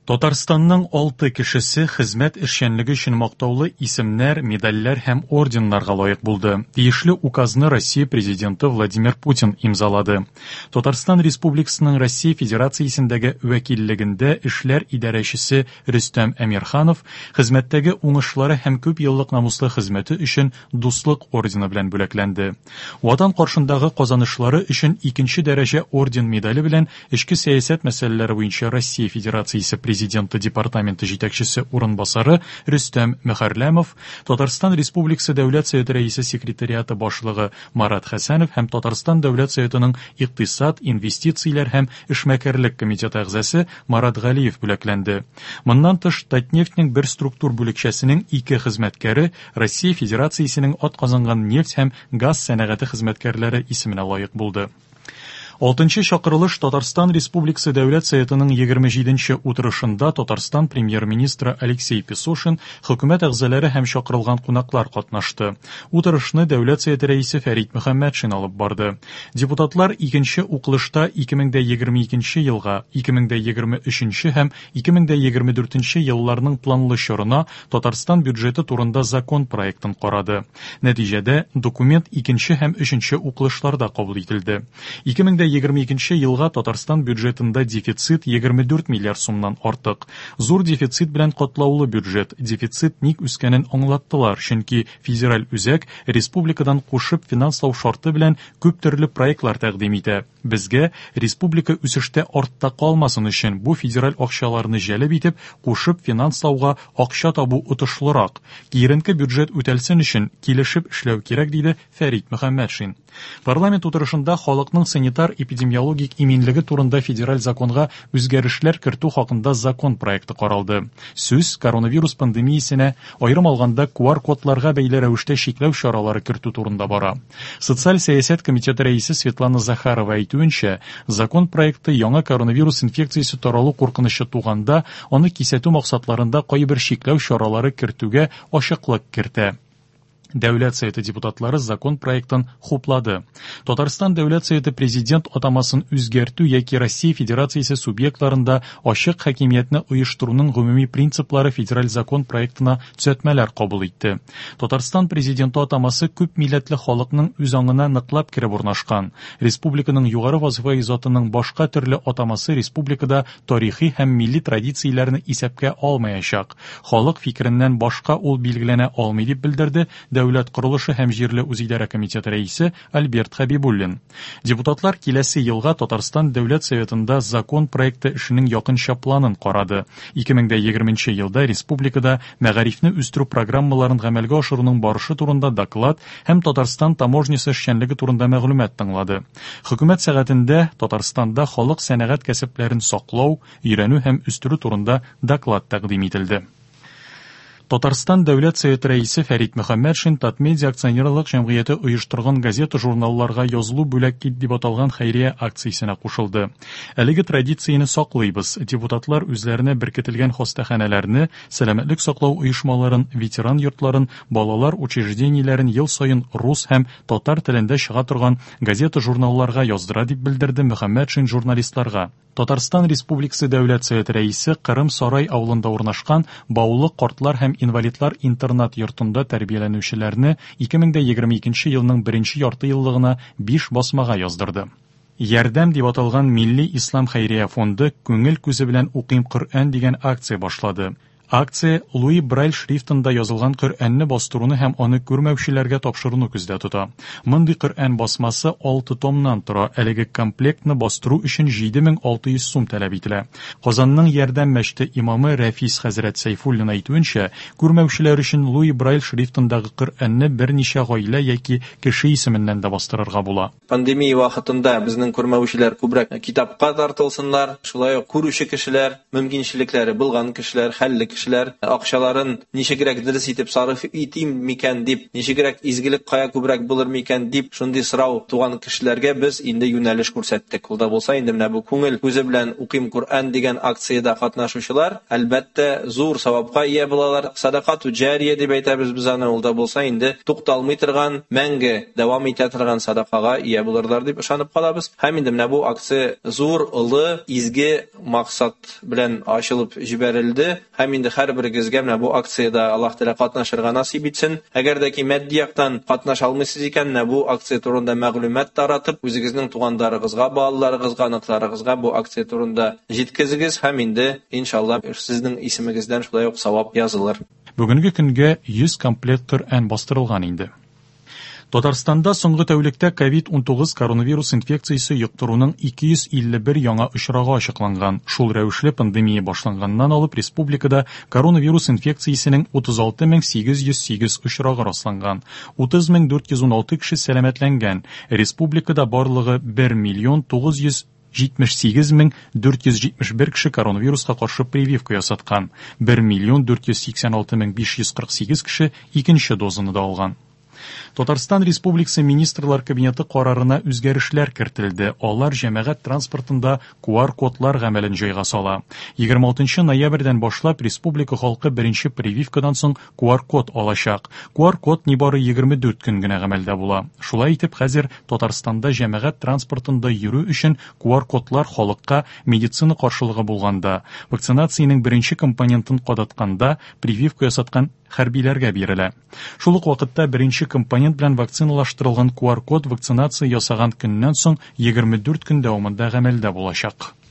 Татарстанның алты кешесе хезмәт эшчәнлеге өчен мактаулы исемнәр, медальләр һәм орденнарга лаек булды. Тиешле указны Россия Президенты Владимир Путин имзалады. Татарстан Республикасының Россия Федерациясендәге вәкиллегендә эшләр идарәчесе Рөстәм Әмирханов хезмәттәге уңышлары һәм күп еллык намуслы хезмәте өчен Дуслык ордены белән бүләкләнде. Ватан каршындагы казанышлары өчен икенче дәрәҗә орден медале белән Эчке сәясәт мәсьәләләре буенча Россия Федерациясе Президенты департаменты җитәкчесе урынбасары Рөстәм Мөхәрләмов, Татарстан Республикасы Дәүләт Советы Рәисе секретариаты башлыгы Марат Хәсәнов һәм Татарстан Дәүләт Советының Икътисад, инвестицияләр һәм эшмәкәрлек комитеты әгъзасы Марат Галиев бүләкләнде. Моннан тыш, Татнефтьнең бер структур бүлекчәсенең ике хезмәткәре Россия Федерациясенең атказанган нефть һәм газ сәнәгате хезмәткәрләре исеменә лаек булды. Алтынчы чакырылыш Татарстан Республикасы Дәүләт Советының 27 нче утырышында Татарстан Премьер-министры Алексей Песошин, хөкүмәт әгъзалары һәм чакырылган кунаклар катнашты. Утырышны Дәүләт Советы Рәисе Фәрит Мөхәммәтшин алып барды. Депутатлар икенче укылышта 2022 елга, 2023 һәм 2024 елларның планлы чорына Татарстан бюджеты турында закон проектын карады. Нәтиҗәдә, документ икенче һәм өченче укылышларда кабул ителде. 2022 елга Татарстан бюджетында дефицит 24 миллиард сумнан артык. Зур дефицит белән катлаулы бюджет. Дефицит ник үскәнен аңлаттылар, чөнки федераль үзәк республикадан кушып финанслау шарты белән күп төрле проектлар тәкъдим итә. Безгә, республика үсештә артта калмасын өчен, бу федераль акчаларны җәлеп итеп, кушып финанслауга акча табу отышлырак. Киеренке бюджет үтәлсен өчен, килешеп эшләү кирәк, диде Фәрит Мөхәммәтшин. Парламент утырышында халыкның санитар-эпидемиологик иминлеге турында федераль законга үзгәрешләр кертү хакында закон проекты каралды. Сүз коронавирус пандемиясенә, аерым алганда QR-кодларга бәйле рәвештә чикләү чаралары кертү турында бара. Социаль сәясәт комитеты рәисе Светлана Захарова әйтүенчә, закон проекты яңа коронавирус инфекциясе таралу куркынычы туганда, аны кисәтү максатларында кайбер чикләү чаралары кертүгә ачыклык кертә. Дәүләт Советы депутатлары закон проектын хуплады. Татарстан Дәүләт Советы президент атамасын үзгәртү яки Россия Федерациясе субъектларында ачык хакимиятне оештыруның гомуми принциплары федераль закон проектына төзәтмәләр кабул итте. Татарстан Президенты атамасы күп милләтле халыкның үзаңына ныклап кереп урнашкан. Республиканың югары вазыйфаи затының башка төрле атамасы республикада тарихи һәм милли традицияләрне исәпкә алмаячак. Халык фикереннән башка ул билгеләнә алмый, дип белдерде Дәүләт корылышы һәм җирле үзидарә комитеты рәисе Альберт Хәбибуллин. Депутатлар киләсе елга Татарстан Дәүләт Советында закон проекты эшенең якынча планын карады. 2020 елда республикада мәгарифне үстерү программаларын гамәлгә ашыруның барышы турында доклад һәм Татарстан таможнясы эшчәнлеге турында мәгълүмат тыңлады. Хөкүмәт сәгатендә Татарстанда халык сәнәгать кәсепләрен саклау, өйрәнү һәм үстерү турында доклад тәкъдим ителде. Татарстан Дәүләт Советы Рәисе Фәрит Мөхәммәтшин Татмедиа акционерлык җәмгыяте оештырган газета-журналларга язылу бүләк ит дип аталган хәйрия акциясенә кушылды. Әлеге традицияне саклыйбыз. Депутатлар үзләренә беркетелгән хастаханәләрне, сәламәтлек саклау оешмаларын, ветеран йортларын, балалар учреждениеләрен ел саен рус һәм татар телендә чыга торган газета-журналларга яздыра, дип белдерде Мөхәммәтшин журналистларга. Татарстан Республикасы Дәүләт Советы Рәисе Кырым Сарай авылында урнашкан Баулы картлар һәм инвалидлар интернат-йортында тәрбияләнүчеләрне 2022 елның беренче яртыеллыгына биш басмага яздырды. Ярдәм дип аталган Милли ислам хәйрия фонды Күңел күзе белән укыйм Коръән дигән акция башлады. Акция Луи Брайль шрифтында язылган Коръәнне бастыруны һәм аны күрмәүчеләргә тапшыруны күздә тота. Мондый Коръән басмасы алты томнан тора, әлеге комплектны бастыру өчен 7600 сум таләп ителә. Казанның Ярдәм мәчете имамы Рәфис хәзрәт Сәйфуллин әйтүенчә, күрмәүчеләр өчен Луи Брайль шрифтындагы Коръәнне берничә гаилә яки кеше исеменнән дә бастырырга була. Пандемия вакытында безнең күрмәүчеләр күбрәк китапка тартылсыннар, шулай ук күрүче кешеләр, мөмкинчелекләре булган кешеләр, хәлле кешеләр акчаларын ничегрәк дөрес итеп сарыф итим микән дип, ничегрәк изгелек кая күбрәк булыр микән дип, шундый сорау туган кешеләргә без инде юнәлеш күрсәттек. Ул да булса инде менә бу күңел күзе белән укыйм Коръән дигән акциядә катнашучылар, әлбәттә, зур савапка ия булалар. Садакату җария дип әйтәбез без аны, ул да булса инде тукталмый торган, мәңге дәвам итә торган садакага ия булырлар дип ышанып калабыз. Һәм инде менә бу акция зур, олы, изге максат белән ачылып җибәрелде. Һәм инде һәрберегезгә менә бу акциядә Аллаһ Тәгалә катнашырга насыйп итсен. Әгәр дә ки матди яктан катнаша алмыйсыз икән, менә бу акция турында мәгълүмат таратып, үзегезнең туганнарыгызга, балаларыгызга, оныкларыгызга бу акция турында җиткезегез һәм инде, иншалла, сезнең исемегездән шулай ук савап язылыр. Бүгенге көнгә 100 комплект Коръән бастырылган инде. Татарстанда соңгы тәүлектә COVID-19 коронавирус инфекциясе йоктыруның 251 яңа очрагы ачыкланган. Шул рәвешле пандемия башланганнан алып республикада коронавирус инфекциясенең 36808 очрагы расланган. 30416 кеше сәламәтләнгән. Республикада барлыгы 1 миллион 978 мең 471 кеше коронавируска каршы прививка ясаткан. 1 миллион 486 мең 548 кеше икенче дозаны да алган. Татарстан Республикасы Министрлар Кабинеты карарына үзгәрешләр кертелде. Алар җәмәгать транспортында QR-кодлар гамәлен җайга сала. 26 ноябрьдән башлап республика халкы беренче прививкадан соң QR-код алачак. QR-код нибары 24 көн генә гамәлдә була. Шулай итеп, хәзер Татарстанда җәмәгать транспортында йөрү өчен QR-кодлар халыкка медицина каршылыгы булганда, вакцинациянең беренче компонентын кадатканда прививка ясаткан хәрбиләргә бирелә. Шул ук вакытта беренче компонент белән вакциналаштырылган QR-код вакцинация ясаган көннән соң 24 көн дәвамында гамәлдә булачак.